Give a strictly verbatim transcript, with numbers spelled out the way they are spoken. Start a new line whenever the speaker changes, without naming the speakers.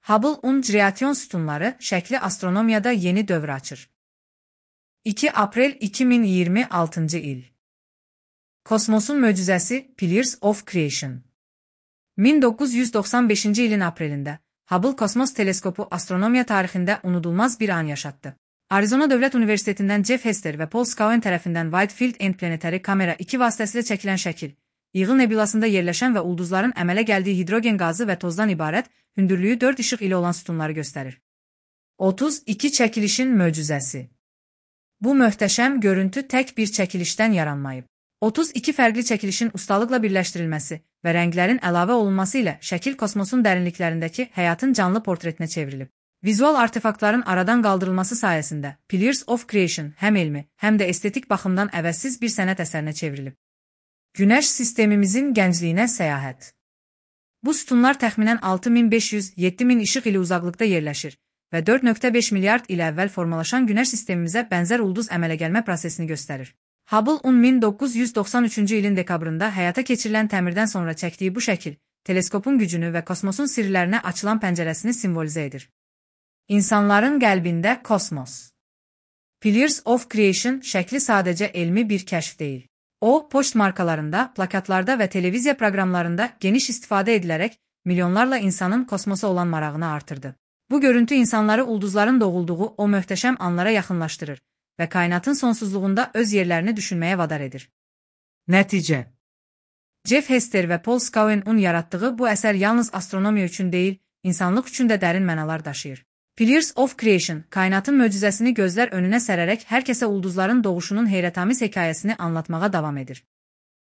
Hubble-un radiasyon sütunları şəkli astronomiyada yeni dövr açır. iki aprel iki min iyirmi altıncı il. Kosmosun möcüzəsi Pillars of Creation. min doqquz yüz doxsan beşinci ilin aprelində Hubble kosmos teleskopu astronomiya tarixində unudulmaz bir an yaşatdı. Arizona Dövlət Universitetindən Jeff Hester və Paul Scowen tərəfindən Whitefield End planetari kamera iki vasitəsilə çəkilən şəkil, İğıl nebulasında yerləşən və ulduzların əmələ gəldiyi hidrogen qazı və tozdan ibarət hündürlüyü dörd işıq ili olan sütunları göstərir. otuz iki çəkilişin möcüzəsi. Bu möhtəşəm görüntü tək bir çəkilişdən yaranmayıb. otuz iki fərqli çəkilişin ustalıqla birləşdirilməsi və rənglərin əlavə olunması ilə şəkil kosmosun dərinliklərindəki həyatın canlı portretinə çevrilib. Vizual artefaktların aradan qaldırılması sayəsində Pillars of Creation həm elmi, həm də estetik baxımdan əvəzsiz bir sənət əsərinə çevrilib. Günəş sistemimizin gəncliyinə səyahət. Bu sütunlar təxminən altı min beş yüz - yeddi min işıq ili uzaqlıqda yerləşir və dörd nöqtə beş milyard il əvvəl formalaşan Günəş sistemimizə bənzər ulduz əmələ gəlmə prosesini göstərir. Hubble-un min doqquz yüz doxsan üçüncü ilin dekabrında həyata keçirilən təmirdən sonra çəkdiyi bu şəkil, teleskopun gücünü və kosmosun sirlərinə açılan pəncərəsini simvolizə edir. İnsanların qəlbində kosmos. Pillars of Creation şəkli sadəcə elmi bir kəşf deyil. O, poçt markalarında, plakatlarda və televiziya proqramlarında geniş istifadə edilərək milyonlarla insanın kosmosa olan marağını artırdı. Bu görüntü insanları ulduzların doğulduğu o möhtəşəm anlara yaxınlaşdırır və kainatın sonsuzluğunda öz yerlərini düşünməyə vadar edir. Nəticə. Jeff Hester və Paul Scowen-un yaratdığı bu əsər yalnız astronomiya üçün deyil, insanlıq üçün də dərin mənalar daşıyır. Pillars of Creation, kainatın möcüzəsini gözlər önünə sərərək hər kəsə ulduzların doğuşunun heyrətamiz hekayəsini anlatmağa davam edir.